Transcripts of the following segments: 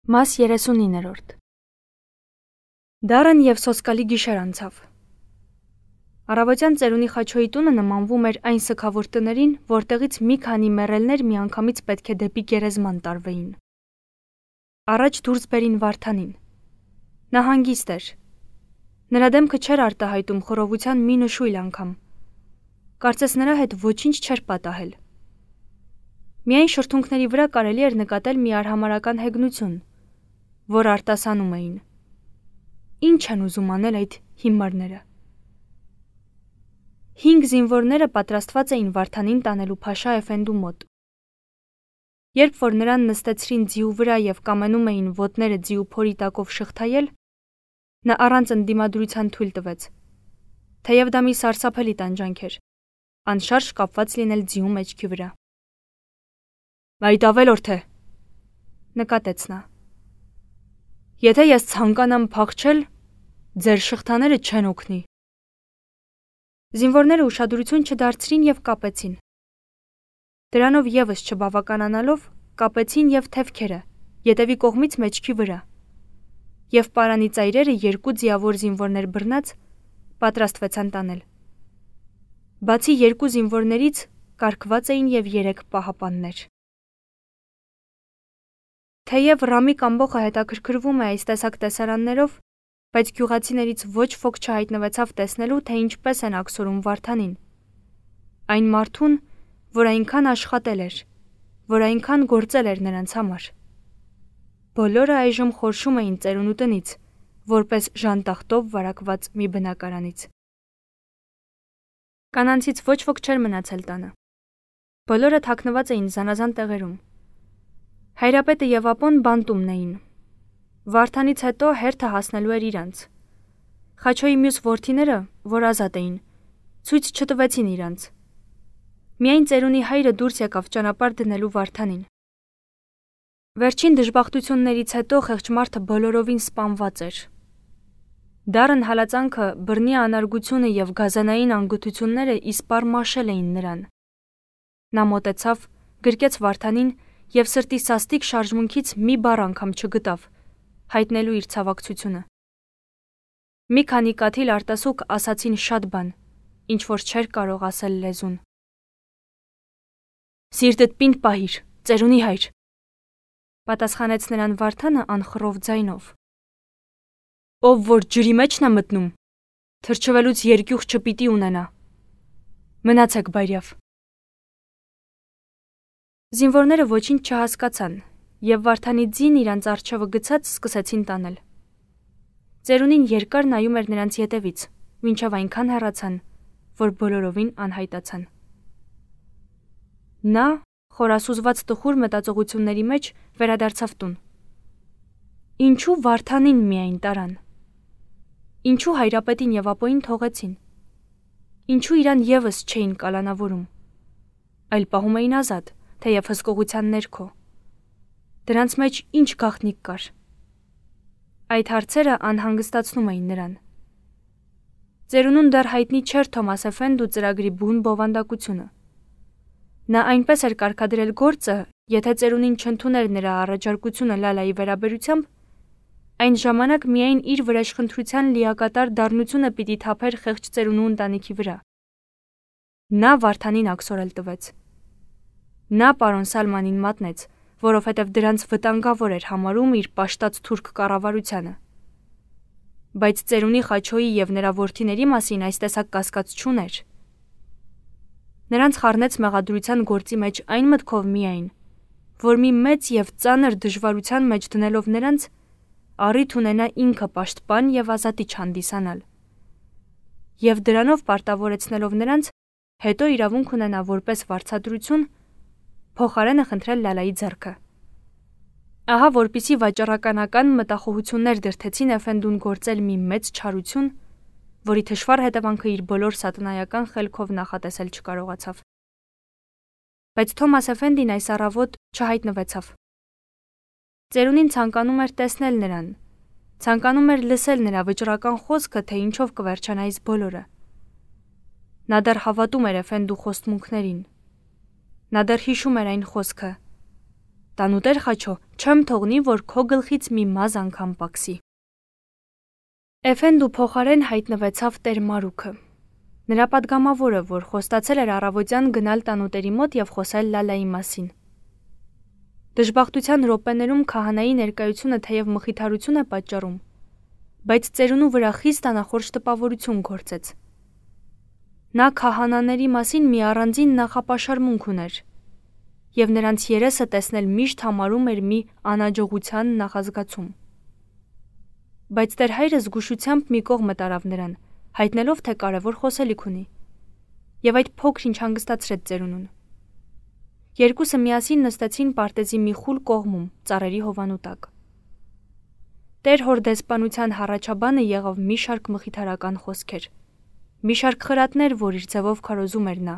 Մաս 39-րդ Դարն և սոսկալի գիշեր անցավ։ Առավոտյան ծերունի Խաչոյի տունը նմանվում էր այն սգավոր տներին, որտեղից մի քանի մեռելներ միանգամից պետք է դեպի գերեզման տարվեին։ Առաջ դուրս բերին Վարդանին։ Նա հանգիստ էր։ Նրա դեմքը չէր արտահայտում խռովության մի նշույլ անգամ։ Կարծես նրա հետ ոչինչ չէր պատահել։ Միայն շրթունքների վրա կարելի էր նկատել մի արհամարհական հեգնություն, որ արտասանում էին։ Ինչ են ուզում անել այդ հիմարները։ 5 զինվորները պատրաստված էին Վարդանին տանելու Փաշա Էֆենդու մոտ։ Երբ որ նրան նստեցրին ձիու վրա և կամենում էին ոտները ձիու փորի տակով շղթայել, նա առանց ընդդիմադրության թույլ տվեց, թեև դա մի սարսափելի տանջանք էր, անշարժ կապված լինել ձիու մեջքի վրա։ «Այդ ավելորդ է», նկատեց նա։ «Եթե ես ցանկանամ փախչել, ձեր շղթաները չեն օգնի»։ Զինվորները ուշադրություն չդարձրին և կապեցին։ Դրանով ևս չբավականանալով, կապեցին և թևքերը, ետևի կողմից մեջքի վրա, և պարանի ծայրերը 2 ձիավոր զինվորներ բռնած պատրաստվեցան տանել։ Բացի 2 զինվորներից կարգված էին և 3 պահապաններ։ Թեև Ռամիկ ամբոխը հետաքրքրվում է այս տեսակ տեսարաններով, բայց գյուղացիներից ոչ ոք չհայտնվեցավ տեսնելու, թե ինչպես են աքսորում Վարդանին, այն մարդուն, որ այնքան աշխատել էր, որ այնքան գործել էր նրանց համար։ Բոլորը այժմ խորշում էին ծերունու տնից, որպես ժանտախտով վարակված մի բնակարանից։ Կանանցից ոչ ոք չէր մնացել տանը։ Բոլորը թաքնված էին զանազան տեղերում։ Հայրապետը և ապոն բանտումն էին։ Վարդանից հետո հերթը հասնելու էր իրանց։ Խաչոյի մյուս որդիները, որ ազատ էին, ցույց չտվեցին իրանց։ Միայն ծերունի հայրը դուրս եկավ ճանապարհ դնելու Վարդանին։ Վերջին դժբախտություններից հետո խեղճ մարդը բոլորովին սպանված էր։ Դառն հալածանքը, բռնի անարգությունը և գազանային անգութությունները իսպառ մաշել էին նրան։ Նա մոտեցավ, գրկեց Վարդանին և սրտի սաստիկ շարժմունքից մի բառ անգամ չգտավ, հայտնելու իր ցավակցությունը։ Մի քանի կաթիլ արտասուք ասացին շատ բան, ինչ որ չէր կարող ասել լեզուն։ «Սիրտդ պինդ պահիր, ծերունի հայր», պատասխանեց նրան Վարդանը անխռով ձայնով։ «Ով որ ջրի մեջն է մտնում, թրջվելուց երկյուղ չպիտի ունենա։ Մնացեք բայրյավ»։ Զինվորները ոչինչ չհասկացան, և Վարդանի ձին իրանց առջևը գցած սկսեցին տանել։ Ծերունին երկար նայում էր նրանց ետևից, մինչև այնքան հեռացան, որ բոլորովին անհայտացան։ Նա, խորասուզված տխուր մտածողությունների մեջ, վերադարձավ տուն։ Ինչու Վարդանին միայն տարան։ Ինչու հայրապետին և ապոյին թողեցին։ Ինչու իրան ևս չէին կալանավորում, այլ պահում էին ազատ, թեև հսկողության ներքո։ Դրանց մեջ ինչ գաղտնիք կար։ Այդ հարցերը անհանգստացնում էին նրան։ Ծերունուն դեռ հայտնի չէր Թոմաս Էֆենդու ծրագրի բուն բովանդակությունը։ Նա այնպես էր կարգադրել գործը, եթե ծերունին չընդուներ նրա առաջարկությունը Լալայի վերաբերությամբ, այն ժամանակ միայն իր վրեժխնդրության լիակատար դառնությունը պիտի թափեր խեղճ ծերունու ընտանիքի վրա։ Նա Վարդանին աքսորել տվեց։ Նա պարոն Սալմանին մատնեց, որովհետև դրանց վտանգավոր էր համարում իր պաշտած թուրք կառավարությանը։ Բայց ծերունի Խաչոյի և նրա որդիների մասին այս տեսակ կասկած չուներ։ Նրանց խառնեց մեղադրության գործի մեջ այն մտքով միայն, որ մի մեծ և ծանր դժվարության մեջ դնելով նրանց, առիթ ունենա ինքը պաշտպան և ազատիչ հանդիսանալ, և դրանով պարտավորեցնելով նրանց, հետո իրավունք ունենա որպես վարձատրություն փոխարենը խնդրել Լալայի ձեռքը։ Ահա որպեսզի վաճառականական մտախոհություններ դրդեցին Էֆենդուն գործել մի մեծ չարություն, որի թշվառ հետևանքը իր բոլոր սատանայական խելքով նախատեսել չկարողացավ։ Բայց Թոմաս Էֆենդին այս առավոտ չհայտնվեցավ։ Ծերունին ցանկանում էր տեսնել նրան, ցանկանում էր լսել նրա վճռական խոսքը, թե ինչով կվերջանա այս բոլորը։ Նա դեռ հավատում էր Էֆենդու խոստմունքներին։ Նա դեռ հիշում էր այն խոսքը. տանուտեր Խաչո, չեմ թողնի, որ քո գլխից մի մազ անգամ պակսի։ Էֆենդու փոխարեն հայտնվեցավ Տեր Մարուքը։ Նրա պատգամավորը, որ խոստացել էր առավոտյան գնալ տանուտերի մոտ եւ խոսել Լալայի մասին։ Դժբախտության րոպեներում քահանայի ներկայությունը թեև մխիթարություն է պատճառում, բայց ծերունու վրա խիստ անախորժ տպավորություն գործեց։ Նա քահանաների մասին մի առանձին նախապաշարմունք ուներ, եւ նրանց երեսը տեսնել միշտ համարում էր մի անաջողության նախազգացում։ Բայց Տեր հայրը զգուշությամբ մի կողմը տարավ նրան, հայտնելով, թե կարևոր խոսելիք ունի, եւ այդ փոքր-ինչ հանգստացրեց ծերունուն։ Երկուսը միասին նստեցին պարտեզի մի խուլ կողմում, ծառերի հովանու տակ։ Տեր հոր դեսպանության հառաչաբանը եղավ մի շարք մխիթարական խոսքեր, մի շարք խրատներ, որ իր ձևով քարոզում էր նա,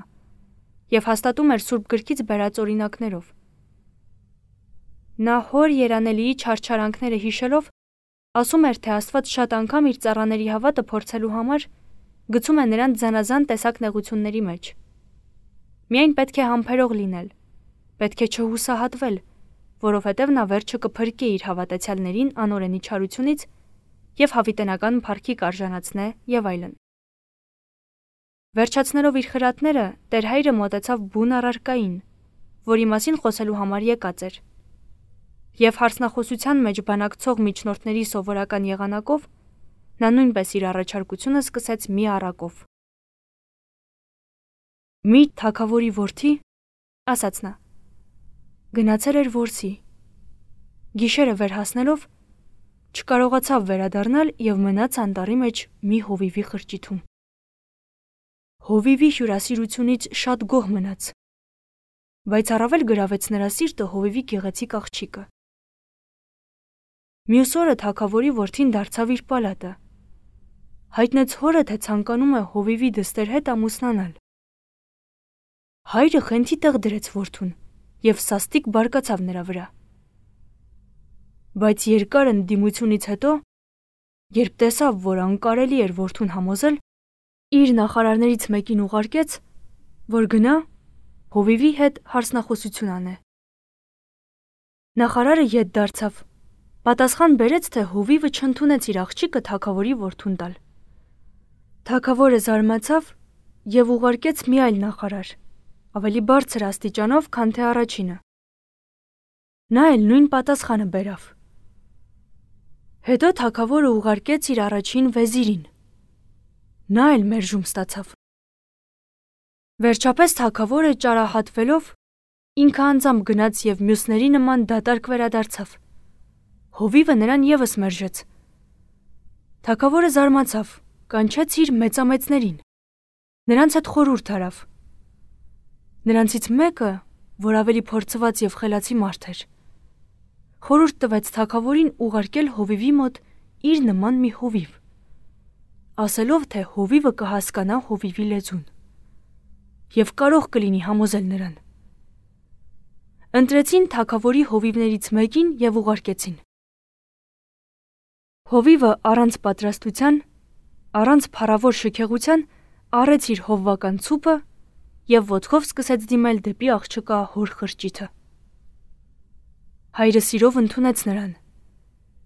եւ հաստատում էր Սուրբ գրքից բերած օրինակներով։ Նա հոր երանելիի չարչարանքները հիշելով, ասում էր, թե Աստված շատ անգամ իր ծառաների հավատը փորձելու համար գցում է նրանց զանազան տեսակ նեղությունների մեջ։ Միայն պետք է համբերող լինել, պետք է չհուսահատվել, որովհետև նա վերջը կփրկի իր հավատացյալներին անօրենի չարությունից եւ հավիտենական փառքի կարժանացնե եւ այլն։ Վերջացնելով իր խրատները, Տեր հայրը մոտեցավ բուն առարկային, որի մասին խոսելու համար եկած էր, եւ հարցնախոսության մեջ բանակցող միջնորդների սովորական եղանակով նա նույնպես իր առաջարկությունը սկսեց մի առակով։ Մի թագավորի որդի, ասաց նա, գնացել էր որսի, գիշերը վերհասնելով չկարողացավ վերադառնալ եւ մնաց անտառի մեջ մի հովիվի խրճիթում։ Հովիվի հյուրասիրությունից շատ գոհ մնաց, բայց առավել գրավեց նրա սիրտը հովիվի գեղեցիկ աղջիկը։ Մյուս օրը թագավորի որդին դարձավ իր պալատը, հայտնեց հորը, թե ցանկանում է հովիվի դստեր հետ ամուսնանալ։ Հայրը խենթի տեղ դրեց որդուն եւ սաստիկ բարկացավ նրա վրա։ Բայց երկար ընդդիմությունից հետո, երբ տեսավ, որ անկարելի էր որդուն համոզել, իր նախարարներից մեկին ուղարկեց, որ գնա հովիվի հետ հարցնախոսություն անե։ Նախարարը ետ դարձավ, պատասխան բերեց, թե հովիվը չընդունեց իր աղջիկը թագավորի որդուն տալ։ Թագավորը զարմացավ եւ ուղարկեց մի այլ նախարար, ավելի բարձր աստիճանով, քան թե առաջինը։ Նա էլ նույն պատասխանը բերավ։ Հետո թագավորը ուղարկեց իր առաջին վեզիրին։ Նա էլ մերժում ստացավ։ Վերջապես թագավորը ճարահատվելով ինքը անձամբ գնաց եւ մյուսների նման դատարկ վերադարձավ։ Հովիվը նրան եւս մերժեց։ Թագավորը զարմացավ, կանչեց իր մեծամեծներին։ Նրանց հետ խորհուրդ արավ։ Նրանցից մեկը, որ ավելի փորձված եւ խելացի մարդ էր, խորհուրդ տվեց թագավորին ուղարկել հովիվի մոտ իր նման մի հովիվ, ասելով, թե հովիվը կհասկանա հովիվի լեզուն եւ կարող կլինի համոզել նրան։ Ընտրեցին թագավորի հովիվներից մեկին եւ ուղարկեցին։ Հովիվը առանց պատրաստության, առանց փառավոր շքեղության առեց իր հովվական ցուպը եւ ոտքով սկսեց դիմել դեպի աղջկա հոր խրճիթը։ Հայրը սիրով ընդունեց նրան։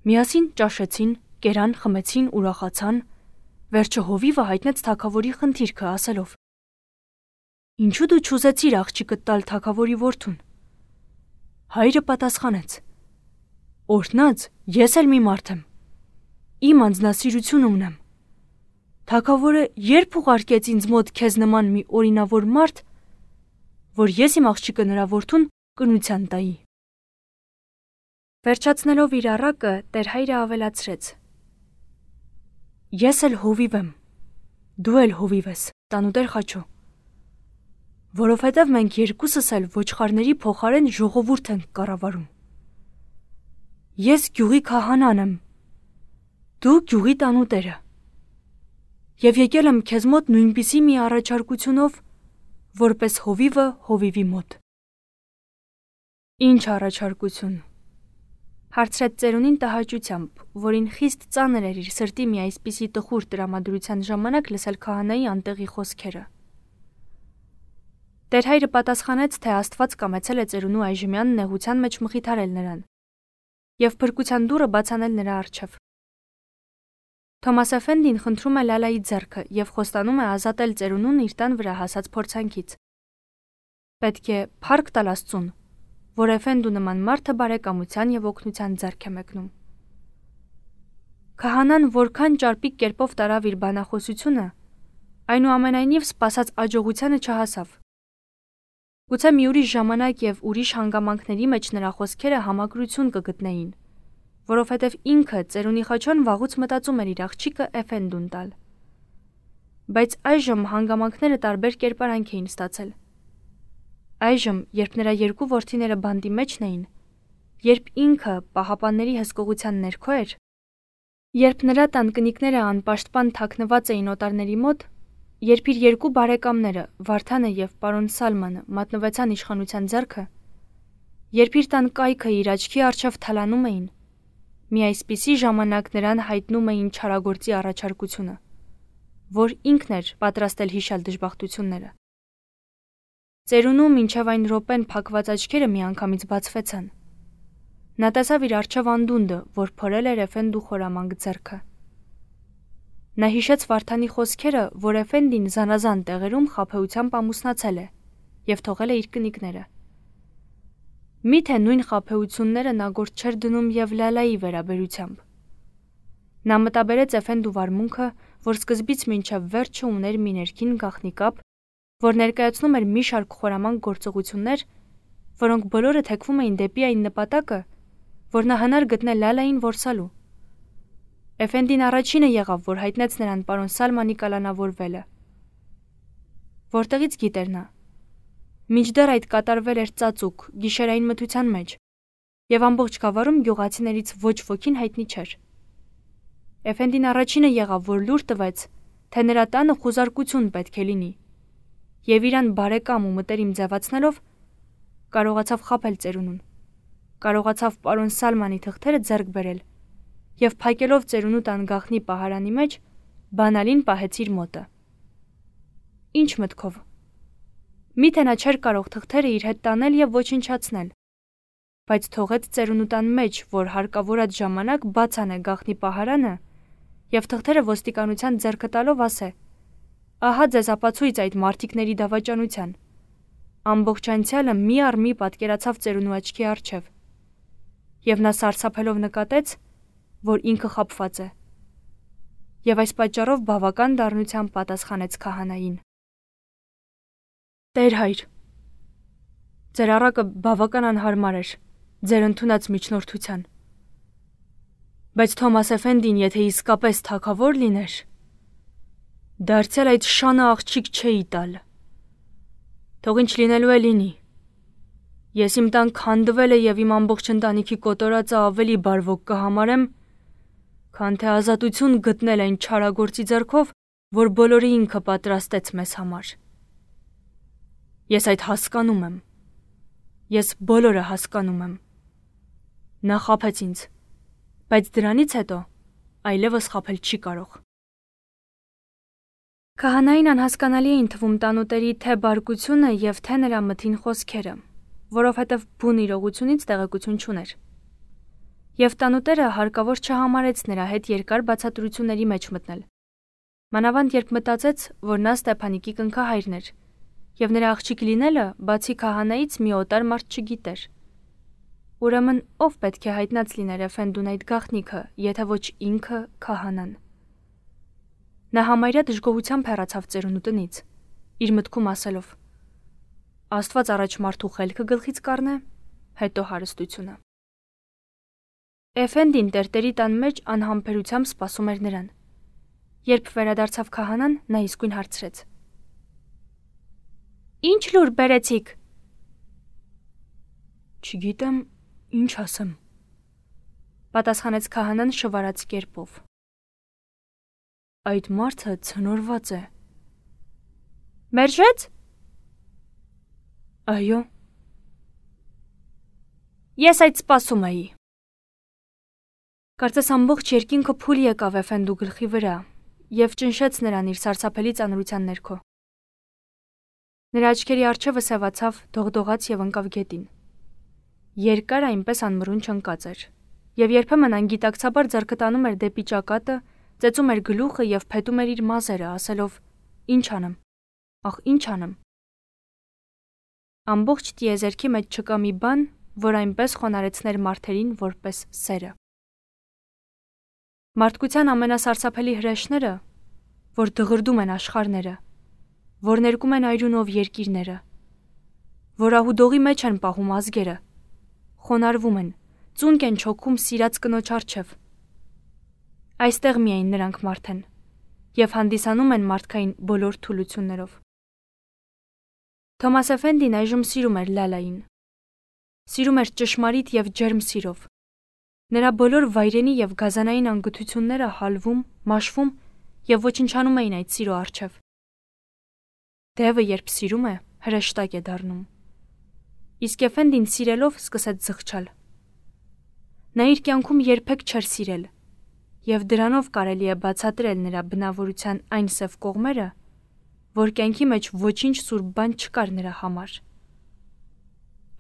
Միասին ճաշեցին, կերան, խմեցին, ուրախացան։ Վերջը հովիվը հայտնեց թագավորի խնդիրքը, ասելով. Ինչու դու չուզեցիր աղջիկը տալ թագավորի որդուն։ Հայրը պատասխանեց. Օրհնած, ես էլ մի մարդ եմ։ Իմ անձնասիրությունը ունեմ։ Թագավորը երբ ուղարկեց ինձ մոտ քեզ նման մի օրինավոր մարդ, որ ես իմ աղջիկը նրա որդուն կնության տայի։ Վերջացնելով իր առակը, Տեր հայրը ավելացրեց. Ես էլ հովիվ եմ, դու էլ հովիվ ես, տանուտեր Խաչո, որովհետև մենք երկուսս էլ ոչխարների փոխարեն ժողովուրդ ենք կառավարում։ Ես գյուղի քահանան եմ, դու գյուղի տանուտերը։ Եվ եկել եմ քեզ մոտ նույնպիսի մի առաջարկությունով, որպես հովիվը հովիվի մոտ։ Ինչ առաջարկություն։ Հարցրեց ծերունին տհաճությամբ, որին խիստ ծանր էր իր սրտի մի այսպիսի տխուր տրամադրության ժամանակ լսել քահանայի անտեղի խոսքերը։ Տերհայրը պատասխանեց, թե Աստված կամեցել է ծերունու այժմյան նեղության մեջ մխիթարել նրան եւ փրկության դուռը բացանել նրա առջև։ Թոմաս Էֆենդին խնդրում է Լալայի ձեռքը եւ խոստանում է ազատել ծերունուն իր տան վրա հասած փորձանքից։ Պետք է փառք տալ Աստծուն, որ Էֆենդու նման մարդը բարեկամության եւ օգնության ձեռք է մեկնում։ Քահանան որքան ճարպիկ կերպով տարավ իր բանախոսությունը, այնուամենայնիվ սպասած աջողությանը չհասավ։ Գուցե մի ուրիշ ժամանակ եւ ուրիշ հանգամանքների մեջ նրա խոսքերը համակրություն կգտնեին, որովհետև ինքը ծերունի խաչոն վաղուց մտածում էր իր աղջիկը Էֆենդուն տալ։ Բայց այժմ հանգամանքները տարբեր կերպարանք էին ստացել։ Այժմ, երբ նրա երկու որդիները բանտի մեջն էին, երբ ինքը պահապանների հսկողության ներքո էր, երբ նրա տան կնիկները անպաշտպան թաքնված էին օտարների մոտ, երբ իր երկու բարեկամները Վարդանը եւ պարոն Սալմանը մատնվեցան իշխանության ձեռքը, երբ իր տան կայքը իր աչքի առջև թալանում էին, մի այսպիսի ժամանակ նրան հայտնում էին չարագործի առաջարկությունը, որ ինքն էր պատրաստել հիշալ դժբախտությունները։ Ծերունու մինչև այն րոպեն փակված աչքերը միանգամից բացվեցան։ Նա տեսավ իր առջև անդունդը, որ փորել էր Էֆենդու խորամանկ ձեռքը։ Նա հիշեց Վարդանի խոսքերը, որ Էֆենդին զանազան տեղերում խաբեությամբ ամուսնացել է եւ թողել է իր կնիկները։ Միթե նույն խաբեությունները նա գործ չէր դնում եւ Լալայի վերաբերությամբ։ Նա մտաբերեց Էֆենդու վարմունքը, որ սկզբից մինչև վերջը ուներ մի ներքին գաղտնի կապ, որ ներկայացնում էր մի շարք խորամանկ գործողություններ, որոնք բոլորը թեքվում էին դեպի այն նպատակը, որ նա հնար գտնել Լալային որսալու։ Էֆենդին առաջինը եղավ, որ հայտնեց նրան պարոն Սալմանի կալանավորվելը։ Որտեղից գիտեր նա։ Մինչդեռ այդ կատարվել էր ծածուկ, գիշերային մթության մեջ, եւ ամբողջ գավառում գյուղացիներից ոչ ոքին հայտնի չէր։ Էֆենդին առաջինը եղավ, որ լուր տվեց, թե նրա տանը խուզարկություն պետք է լինի, եւ իրան բարեկամ ու մտերիմ ձևացնելով կարողացավ խաբել ծերունուն, կարողացավ պարոն Սալմանի թղթերը ձեռք բերել եւ փակելով ծերունու տան գաղտնի պահարանի մեջ բանալին պահեց իր մոտը։ Ինչ մտքով։ Միթե նա չէր կարող թղթերը իր հետ տանել եւ ոչնչացնել, բայց թողեց ծերունու տան մեջ, որ հարկավորած ժամանակ բաց անե գաղտնի պահարանը եւ թղթերը ոստիկանության ձեռքը տալով ասե. «Ահա ձեզ ապացույց այդ մարտիկների դավաճանության»։ Ամբողջ անցյալը մի առ մի պատկերացավ ծերունու աչքի առջև, եւ նա սարսափելով նկատեց, որ ինքը խաբված է, եւ այս պատճառով բավական դառնությամբ պատասխանեց քահանային. «Տեր հայր, ձեր առակը բավական անհարմար էր, ձեր ընդունած միջնորդության, բայց Թոմաս Էֆենդին, եթե իսկապես թագավոր լիներ, դարձյալ այդ շանը աղջիկ չէի տալ։ Թող ինչ լինելու է լինի։ Ես իմ տան քանդվել է եւ իմ ամբողջ ընտանիքի կոտորածը ավելի բարվոք կհամարեմ, քան թե ազատություն գտնել այն չարագործի ձեռքով, որ բոլորը ինքը պատրաստեց մեզ համար։ Ես այդ հասկանում եմ։ Ես բոլորը հասկանում եմ։ Նա խաբեց ինձ, բայց դրանից հետո այլևս խաբել չի կարող»։ Քահանային անհասկանալի էին թվում տանուտերի թե բարկությունը եւ թե նրա մթին խոսքերը, որովհետեւ բուն իրողությունից տեղեկություն չուներ։ Եվ տանուտերը հարկավոր չհամարեց նրա հետ երկար բացատրությունների մեջ մտնել։ Մանավանդ երբ մտածեց, որ նա Ստեփանիկի կնքահայրն էր, եւ նրա աղջիկ լինելը բացի քահանայից մի օտար մարդ չգիտեր։ Ուրեմն ով պետք է հայտնած լիներ Էֆենդուն այդ գաղտնիքը, եթե ոչ ինքը քահանան։ Նա համարյա դժգոհությամբ հեռացավ ծերունու տնից, իր մտքում ասելով. Աստված առաջ մարդու խելքը գլխից կառնե, հետո հարստությունը։ Էֆենդին տերտերի տան մեջ անհամբերությամբ սպասում էր նրան։ Երբ վերադարձավ քահանան, նա իսկույն հարցրեց. Ինչ լուր բերեցիք։ Չգիտեմ, ինչ ասեմ, պատասխանեց քահանան շվարած կերպով։ Այդ մարդը ցնորված է։ Մերժեց։ Այո։ Ես այդ սպասում էի։ Կարծես ամբողջ երկինքը փուլ եկավ Էֆենդու գլխի վրա եւ ճնշեց նրան իր սարսափելի ծանրության ներքո։ Նրա աչքերի առջևը սևացավ, դողդողաց եւ ընկավ գետին։ Երկար այնպես անմռուն չընկած էր, եւ երբեմն անգիտակցաբար ձեռքը տանում էր դեպի ճակատը, ծեծում էր գլուխը եւ փետում էր իր մազերը, ասելով. «Ինչ անեմ, ախ, ինչ անեմ»։ Ամբողջ տիեզերքի մեջ չկա մի բան, որ այնպես խոնարհեցներ մարդերին, որպես սերը։ Մարդկության ամենասարսափելի հրեշները, որ դղրդում են աշխարհները, որ ներկում են այրունով երկիրները, որ ահուդողի մեջ են պահում ազգերը, խոնարհվում են, ծունկ են չոքում սիրած կնոջ առջև։ Այստեղ միայն նրանք մարդ են եւ հանդիսանում են մարդկային բոլոր թուլություններով։ Թոմաս Էֆենդին այժմ սիրում էր Լալային։ Սիրում էր ճշմարիտ եւ ջերմ սիրով։ Նրա բոլոր վայրենի եւ գազանային անգթությունները հալվում, մաշվում եւ ոչնչանում էին այդ սիրո առջև։ Դևը երբ սիրում է, հրեշտակ է դառնում։ Իսկ Էֆենդին սիրելով սկսեց զղջալ։ Նա իր կյանքում երբեք չէր սիրել, եւ դրանով կարելի է բացատրել նրա բնավորության այն սև կողմերը, որ կյանքի մեջ ոչինչ սուրբ բան չկար նրա համար։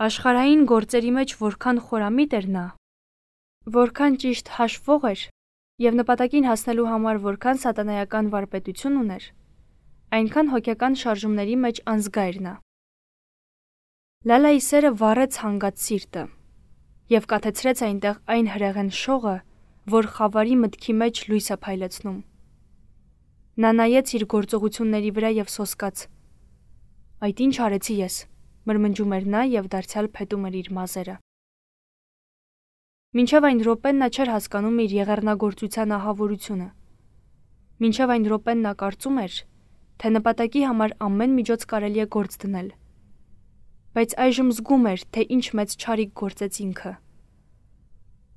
Աշխարհային գործերի մեջ որքան խորամիտ էր նա, որքան ճիշտ հաշվող էր եւ նպատակին հասնելու համար որքան սատանայական վարպետություն ուներ, այնքան հոգեկան շարժումների մեջ անզգա էր նա։ Լալայի սերը վառեց հանգած սիրտը եւ կաթեցրեց այնտեղ այն հրեղեն շողը, որ խավարի մտքի մեջ լույս է փայլեցնում։ Նա նայեց իր գործողությունների վրա եւ սոսկաց. «Այդ ինչ արեցի ես», մրմնջում էր նա եւ դարձյալ փետում էր իր մազերը։ Մինչև այն րոպեն նա չէր հասկանում իր եղեռնագործության ահավորությունը։ Մինչև այն րոպեն նա կարծում էր, թե նպատակի համար ամեն միջոց կարելի է գործ դնել։ Բայց այժմ զգում էր, թե ինչ մեծ չարիք գործեց ինքը։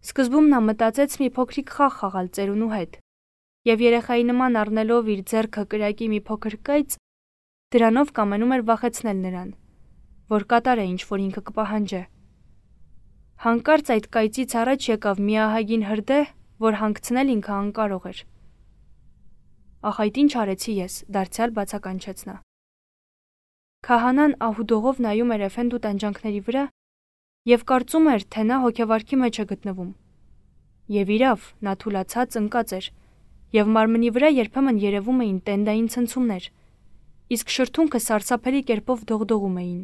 Սկզբում նա մտածեց մի փոքրիկ խաղ խաղալ ծերունու հետ, եւ երեխայի նման առնելով իր ձեռքը կրակի մի փոքր կայծ, դրանով կամենում էր վախեցնել նրան, որ կատարե ինչ որ ինքը կպահանջե։ Հանկարծ այդ կայծից առաջ եկավ մի ահագին հրդեհ, որ հանգցնել ինքը անկարող էր։ «Ախ, այդ ինչ արեցի ես», դարձյալ բացականչեց նա։ Քահանան ահուդողով նայում էր Էֆենդու տանջանքների վրա եւ կարծում էր, թե նա հոգեվարքի մեջ է գտնվում։ Եվ իրավ, նա թուլացած ընկած էր, եւ մարմնի վրա երբեմն երևում էին տենդային ցնցումներ, իսկ շրթունքը սարսափելի կերպով դողդողում էին։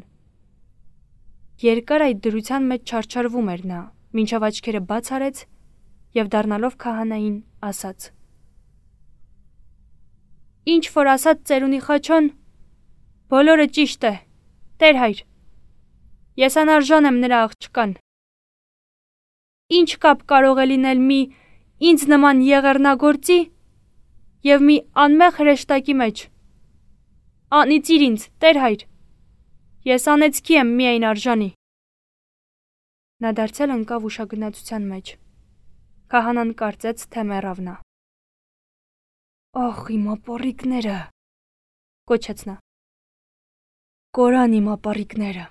Երկար այդ դրության մեջ չարչարվում էր նա, մինչև աչքերը բաց արեց եւ դառնալով քահանային ասաց. «Ինչ որ ասաց ծերունի Խաչոն, բոլորը ճիշտ է, Տեր հայր, ես անարժան եմ նրա աղջկան։ Ինչ կապ կարող է լինել մի ինձ նման եղեռնագործի եւ մի անմեղ հրեշտակի մեջ։ Անիծիր ինձ, Տեր հայր, ես անեծքի եմ միայն արժանի»։ Նա դարձյալ ընկավ ուշագնացության մեջ։ Քահանան կարծեց, թե մեռավ նա։ «Ախ, իմ ապառիկները», կոչեց նա։ «Կորան իմ ապառիկները»։